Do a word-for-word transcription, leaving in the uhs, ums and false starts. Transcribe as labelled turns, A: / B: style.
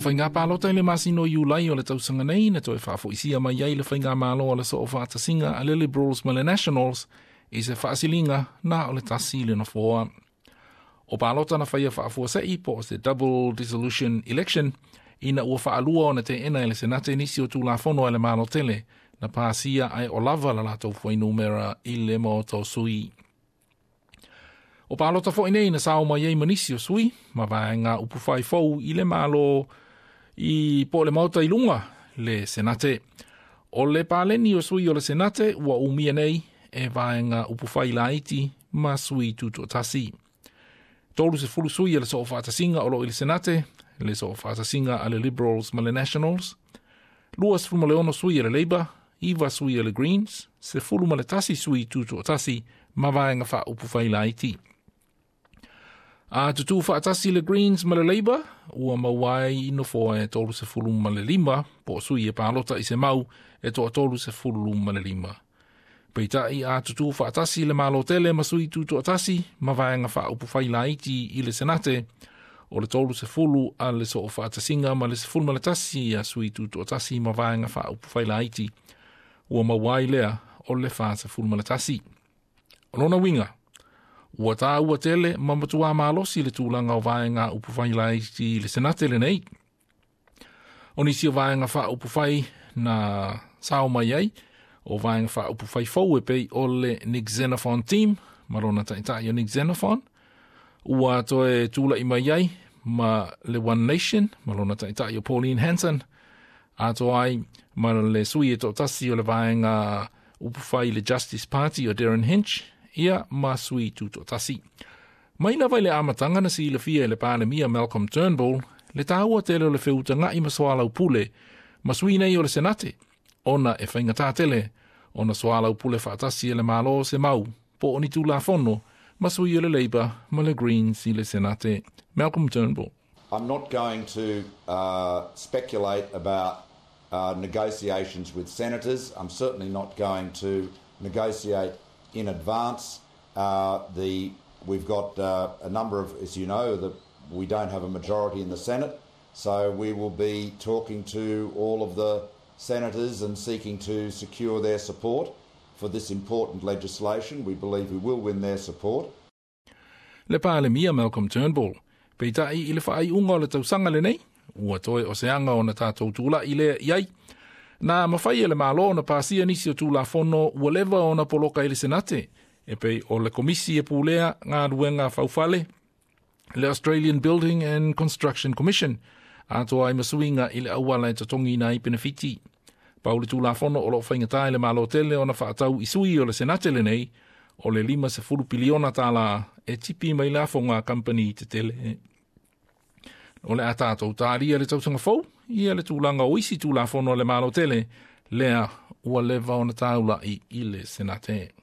A: Faiga palota i le masina o Iulai o le tausaga nei na toe faafoisia mai ai le faigamalo a le Soofaatasiga a le Liberals ma le Nationals i se faasiliga na o le tasi le nofoa. O palota na faia faafuasei po o se double dissolution election ina ua faalua ona teena e le Senate nisi o Tulafono a le Malo tele na pasia ae o lava la latou fuainumera i le maota o sui. O palota foi nei na sao mai ai ma nisi o sui ma vaega upufai fou i le Malo i po le maota i luga le Senate. O le paleni o sui o le Senate ua umia nei e vaega upufai laiti ma sui tutoatasi. Tolu sefulu sui o le Soofaatasiga o loo i le Senate, le Soofaatasiga a le Liberals ma le Nationals, lua sefulu ma le ono sui a le Labour, iva sui a le Greens, sefulu ma le tasi sui tutoatasi ma vaega faaupufai laiti. A tutū faatasi le Greens ma le Labour, ua maua ai nofoa e tolu sefulu ma le lima, po o sui e palota i se mau e toatolu sefulu ma le lima. Peitai a tutū faatasi le Malo tele ma sui tutoatasi ma vaega faaupufai laiti i le Senate, o le tolu sefulu a le Soofaatasiga ma le sefulu ma le tasi a sui tutoatasi ma vaega faaupufai laiti, ua maua ai lea o le fa sefulu ma le tasi. O lona uiga, ua tāua tele ma matuā malosi le tulaga o vaega upufai laiti i le Senate lenei. O nisi o vaega faaupufai na sao mai ai, o vaega faaupufai fou e pei o le Nick Xenophon Team, ma lona taitai o Nick Xenophon, ua toe tula'i mai ai ma le One Nation, ma lona taitai o Pauline Hanson, atoa ai ma le sui e toatasi o le vaega upufai le Justice Party o Derryn Hinch, ia ma sui tutoatasi. Mai lava i le amataga na silafia e le Palemia Malcolm Turnbull, le tāua tele o le feutaga'i ma soalaupule ma sui nei o le Senate, ona e faigata tele, ona soalaupule faatasi e le Malo se mau, po o ni Tulafono, ma sui o le Labour ma le Greens i le Senate. Malcolm Turnbull.
B: I'm not going to uh, speculate about uh, negotiations with senators. I'm certainly not going to negotiate in advance. Uh, the, we've got uh, a number of, as you know, the, we don't have a majority in the Senate, so we will be talking to all of the senators and seeking to secure their support for this important legislation. We believe we will win their support.
A: Le Palemia Malcolm Turnbull. Peitai i le faaiuga o le tausaga lenei, ua toe o se aga ona tatou tula'i lea i ai. Na mafai e le Malo ona pasia nisi o Tulafono ua leva ona poloka i le Senate, e pei o le Komisi e Pulea Galuega Faufale, le Australian Building and Construction Commission, atoa ai ma suiga i le auala e totogiina ai penefiti. Pau le Tulafono o loo faigata i le Malo tele ona faatau i sui o le Senate lenei, o le lima sefulu piliona tālā e tipi mai lafoga a kampani tetele. O le a tatou talia le tausaga fou, ia le tulaga o isi Tulafono a le Malo tele, lea ua leva ona taula'i i le Senate.